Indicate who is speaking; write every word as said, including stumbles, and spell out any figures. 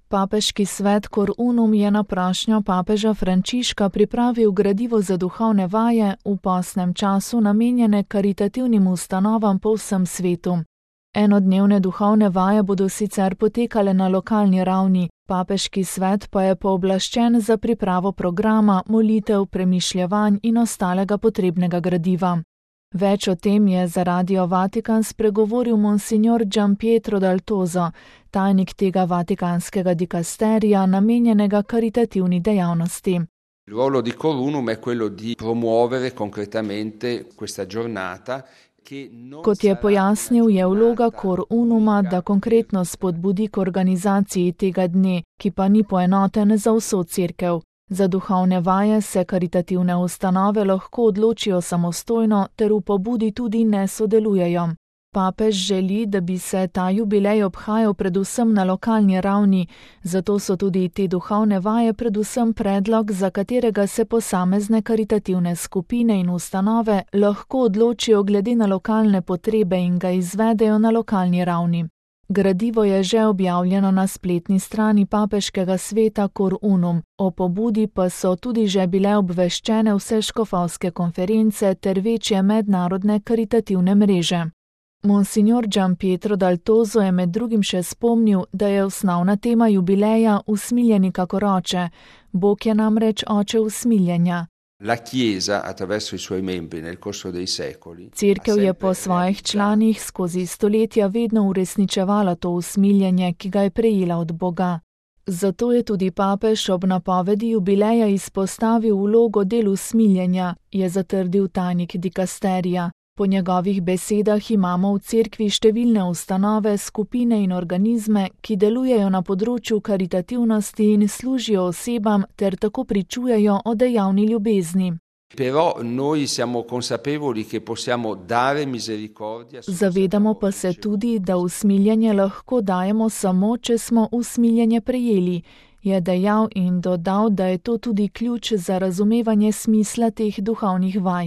Speaker 1: Papeški svet Cor Unum je na prošnjo papeža Frančiška pripravil gradivo za duhovne vaje v postnem času namenjene karitativnim ustanovam po vsem svetu. Enodnevne duhovne vaje bodo sicer potekale na lokalni ravni, papeški svet pa je pooblaščen za pripravo programa, molitev, premišljevanj in ostalega potrebnega gradiva. Več o tem je za Radio Vatikan spregovoril monsignor Gianpietro Dal Toso, tajnik tega vatikanskega dikasterija namenjenega karitativni dejavnosti.
Speaker 2: Il ruolo di Cor Unum è quello di promuovere concretamente questa giornata.
Speaker 1: Kot je pojasnil, je vloga Cor Unuma, da konkretno spodbudi k organizaciji tega dne, ki pa ni poenoten za vso cerkev. Za duhovne vaje se karitativne ustanove lahko odločijo samostojno ter v pobudi tudi ne sodelujejo. Papež želi, da bi se ta jubilej obhajal predvsem na lokalni ravni, zato so tudi te duhovne vaje predvsem predlog, za katerega se posamezne karitativne skupine in ustanove lahko odločijo glede na lokalne potrebe in ga izvedejo na lokalni ravni. Gradivo je že objavljeno na spletni strani papeškega sveta Cor Unum, o pobudi pa so tudi že bile obveščene vse škofovske konference ter večje mednarodne karitativne mreže. Monsignor Gianpietro Dal Toso je med drugim še spomnil, da je osnovna tema jubileja usmiljeni kakor oče. Bog je namreč oče usmiljenja.
Speaker 2: La Chiesa, attraverso i suoi membri nel corso dei secoli,
Speaker 1: Cerkev je po svojih članih skozi stoletja vedno uresničevala to usmiljenje, ki ga je prejela od Boga. Zato je tudi papež ob napovedi jubileja izpostavil vlogo del usmiljenja, je zatrdil tajnik dikasterija. Po njegovih besedah imamo v cerkvi številne ustanove, skupine in organizme, ki delujejo na področju karitativnosti in služijo osebam ter tako pričujejo o dejavni ljubezni.
Speaker 2: Però noi siamo consapevoli che possiamo dare misericordia.
Speaker 1: Zavedamo pa se tudi, da usmiljenje lahko dajemo samo, če smo usmiljenje prejeli, je dejal in dodal, da je to tudi ključ za razumevanje smisla teh duhovnih vaj.